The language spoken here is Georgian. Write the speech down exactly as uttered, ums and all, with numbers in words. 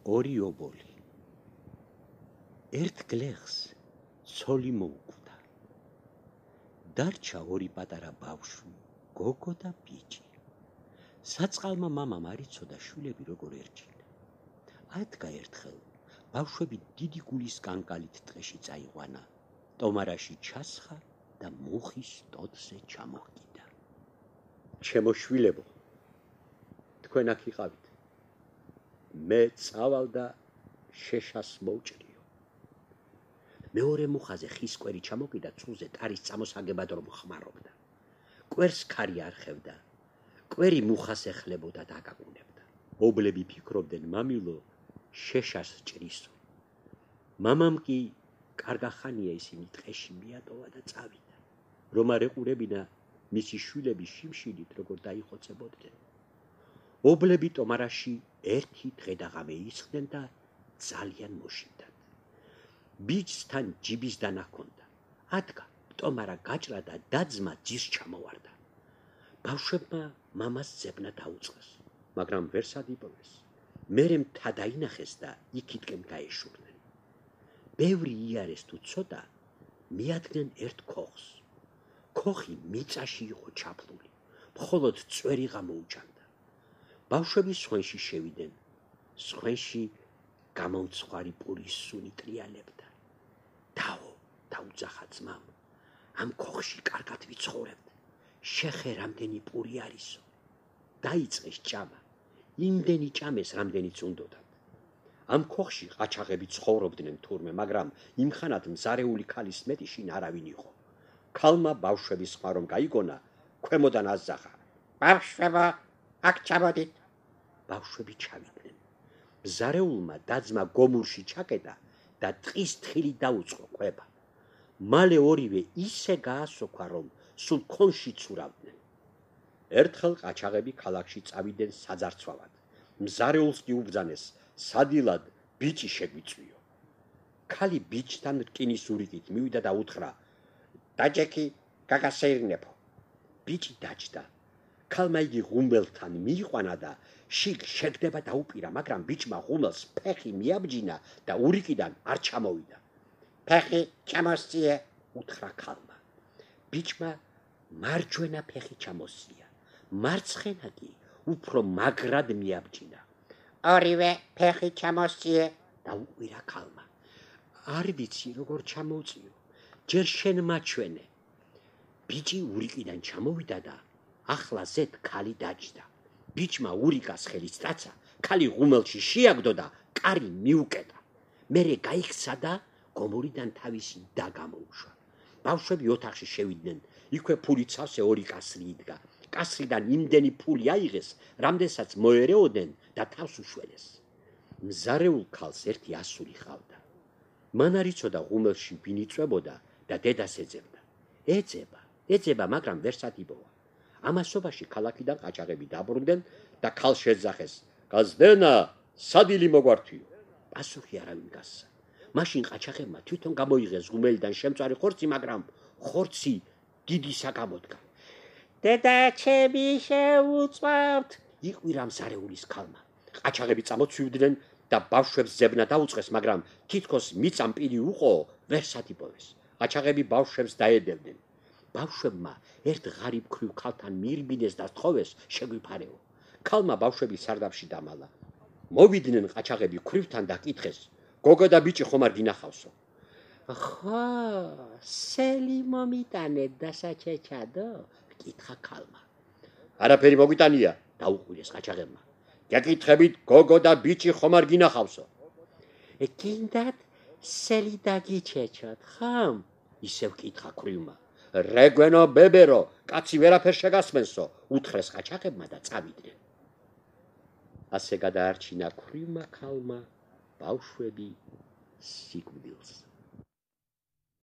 ორი ობოლი. ერთ გლეხს ცოლი მოუკვდა. დარჩა ორი პატარა ბავშვი, გოგო და ბიჭი. საწყალმა მამამ არ იცოდა შვილები როგორ ერჩინა. ადგა ერთხელ ბავშვები დიდი გულის კანკალით ტყეში წაიყვანა. ტომარაში ჩასხა და მუხის ტოტზე ჩამოჰკიდა. ჩემო შვილებო, თქვენ აქ იყავით. მე წავალ და შეშას მოვჭრიო. მეორე მუხაზე ხის კვერი ჩამოკიდა ცულზე ტარის წამოსაგებად რომ ხმარობდა. კვერს ქარი არ ხევდა. კვერი მუხას ეხლებოდა და აკაკუნებდა. ობლები ფიქრობდნენ მამილო შეშას ჭრისო. მამამ კი კარგახანია ისინი ტყეში მიატოვა და წავიდა. რომ არ ეყურებინა მისი შვილები შიმშილით როგორ დაიხოცებოდნენ. ობლები ტომარაში ერთი დღე და ღამე ისხდნენ და ძალიან მოშინდათ. ბიჭთან ჯიბის დანა ჰქონდა. ადგა ტომარა გაჭრა და დაძმა ძირს ჩამოვარდა. ბავშვებმა მამას ძებნა დაუწყეს, მაგრამ ვერ სადიპოვეს. მერე მთა დაინახეს და იქითკენ გაეშურნენ. ბევრი იარეს თუ ცოტა, მიადგნენ ერთ ქოხს. ქოხი მიწაში იყო ჩაფლული, მხოლოდ წვერი გამოუჩანდა. ბავშვები სხვენში შევიდნენ, სხვენში გამომცხვარი პურის სუნი ტრიალებდა. დაო, დაუძახა ძმამ, ამ ქოხში კარგად ვიცხოვრებთ. შეხე რამდენი პური არისო. დაიწყეს ჭამა. იმდენი ჭამეს, რამდენიც უნდოდათ. ამ ქოხში ყაჩაღები ცხოვრობდნენ თურმე, მაგრამ იმხანად მზარეული ქალის მეტი შინ არავინ იყო. ქალმა ბავშვების ხმა რომ გაიგონა, ქვემოდან აზახა. ბავშვებო, აქ ჩამოდით. ბავშვები ჩავიდნენ. მზარეულმა დაძმა გომურში ჩაკეტა და ტყის თხილი დაუწყო ყვება. მალე ორივე ისე გაასოქვა, რომ სულ ქონში ცურავდნენ. ერთხელ ყაჩაღები ქალაქში წავიდნენ საძარცვალად. მზარეულს კი უბრძანეს, სადილად ბიჭი შეგვიწვიო. ქალი ბიჭთან რკინის ურიკით მივიდა და უთხრა, დაჯექი გაგასეირნებო. ბიჭი დაჯდა. ქალმა იგი ღუმელთან მიიყვანა და შიგ შეგდება დაუპირა, მაგრამ ბიჭმა ღუმელს ფეხი მიაბჯინა და ურიკიდან არ ჩამოვიდა. ფეხი ჩამოსწიე, უთხრა ქალმა. ბიჭმა მარჯვენა ფეხი ჩამოსწია, მარცხენა კი უფრო მაგრად მიაბჯინა. ორივე ფეხი ჩამოსწიე, დაუყვირა ქალმა. არ ვიცი როგორ ჩამოვწიო, ჯერ შენ მაჩვენე. ბიჭი ურიკიდან ჩამოვიდა და ახლა ზედ ქალი დაჯდა. ბიჭმა ურიკას ხელი სწაცა, ქალი ღუმელში შეაგდო და კარი მიუკეტა. მერე გაიქცა და გომურიდან თავისი და გამოუშვა. ბავშვები ოთახში შევიდნენ, იქვე ფული ცავსე ორი კასრი იდგა. კასრიდან იმდენი ფული აიღეს, რამდენსაც მოერეოდნენ და თავს უშველეს. მზარეულ ქალს ერთი ასული ჰყავდა. მან არ იცოდა ღუმელში ვინ იწვებოდა და დედას ეძებდა. ეძება, ეძება, მაგრამ ვერ სათიბოა. ამასობაში ქალაქიდან ყაჩაღები დაბრუნდნენ და ქალს შეძახეს, გაზდენა, სადილი მოგვართვიო. პასუხი არავინ გასცა. მაშინ ყაჩაღებმა თვითონ გამოიღეს ღუმელიდან შემწვარი ხორცი, მაგრამ ხორცი დიდისა გამოდგა. დედა ჩემი შეუწევთ, იყვირა მზარეულის ქალმა. ყაჩაღები წამოცვიდნენ და ბავშვებს ძებნა დაუწყეს, მაგრამ თითქოს მიწამ პირი უყო, ვერ სათიბოვეს. ყაჩაღები ბავშვებს დაედევდნენ. ბავშვებმა ერთ ღარიბ ქვრივ ქალთან მიირბინეს და სთხოვეს შეგვიფარეო. ქალმა ბავშვები სარდაფში დამალა. მოვიდნენ ყაჩაღები ქვრივთან და კითხეს, გოგო და ბიჭი ხომ არ გინახავსო? ხო, სელი მომიტანეთ და საჩეჩადო, კითხა ქალმა. არაფერი მოგვიტანია, დაუყვირეს ყაჩაღებმა. გეკითხებით, გოგო და ბიჭი ხომ არ გინახავსო? გინდათ სელი დაგიჩეჩოთ, ხომ? ისევ კითხა ქვრივმა. რეგვენო ბებერო, კაცი ვერაფერ შეგასმენსო, უთხრეს ყაჩაღებმა და წავიდნენ. ასე გადაარჩინა ქვრივმა ქალმა ბავშვები სიკვდილს.